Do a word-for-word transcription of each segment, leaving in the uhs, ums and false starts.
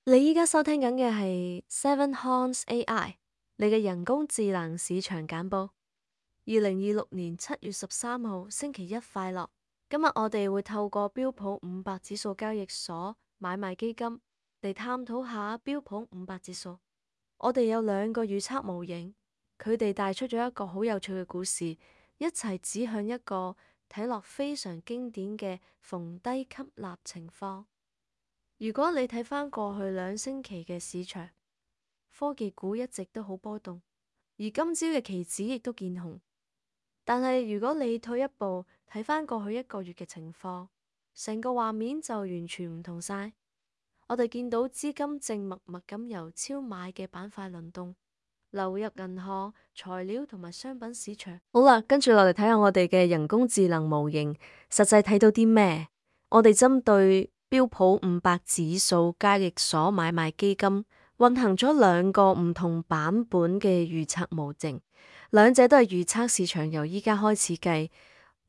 你依家收聽緊嘅係 Seven Horns A I，你嘅人工智能市場簡報。二零二六年七月十三號星期一快樂。今日我哋會透過標普五百指數交易所買賣基金嚟探討下標普五百指數。我哋有兩個預測模型，佢哋帶出咗一個好有趣嘅故事，一齊指向一個睇落非常經典嘅逢低吸納情況。如果你睇返過去兩星期嘅市場，科技股一直都好波動，而今朝嘅期指亦都見紅。但係如果你退一步睇返過去一個月嘅情況，成個畫面就完全唔同晒。我哋見到資金正默默咁由超買嘅板塊輪動，流入銀行、材料同埋商品市場。好啦，跟住落嚟睇下我哋嘅人工智能模型實際睇到啲咩。我哋針對標普五百指數交易所買賣基金運行咗兩個唔同版本嘅預測模型，兩者都係預測市場由依家開始計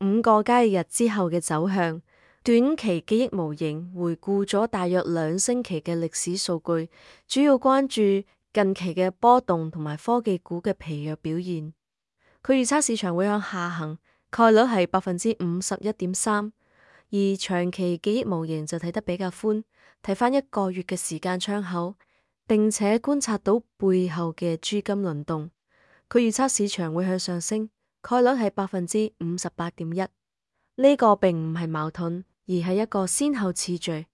五個交易日之後嘅走向。短期記憶模型回顧咗大約兩星期嘅歷史數據，主要關注近期嘅波動同埋科技股嘅疲弱表現。佢預測市場會向下行，概率係百分之五十一點三。而長期記憶模型就睇得比較寬，睇返一個月嘅時間窗口，並且觀察到背後嘅資金輪動。佢預測市場會向上升，概率係百分之五十八點一。呢個並唔係矛盾，而係一個先後次序。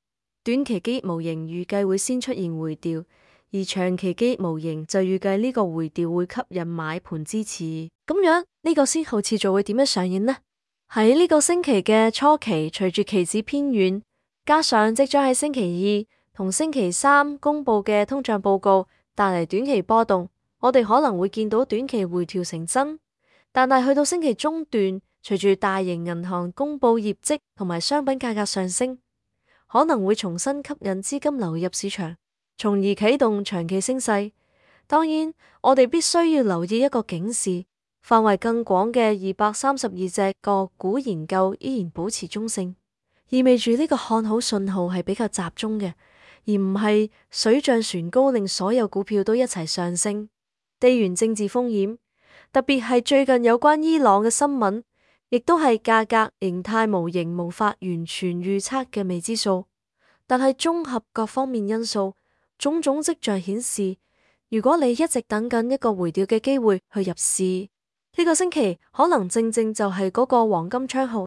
短期記憶模型預計會先出現回調，而長期記憶模型就預計呢個回調會吸引買盤支持。咁樣呢個先後次序會點樣上演呢？喺呢個星期嘅初期，隨住期指偏軟，加上即將喺星期二同星期三公布嘅通脹報告帶嚟短期波動，我哋可能會見到短期回調成真。但係去到星期中段，隨住大型銀行公布業績同埋商品價格上升，可能會重新吸引資金流入市場，從而啟動長期升勢。當然，我哋必須要留意一個警示。範圍更廣嘅二百三十二隻個股研究依然保持中性，意味住呢個看好信號係比較集中嘅，而唔係水漲船高令所有股票都一齊上升。地緣政治風險，特別係最近有關伊朗嘅新聞，亦都係價格形態模型無法完全預測嘅未知數。但係綜合各方面因素，種種跡象顯示，如果你一直等緊一個回調嘅機會去入市，呢個星期可能正正就係嗰個黃金窗號。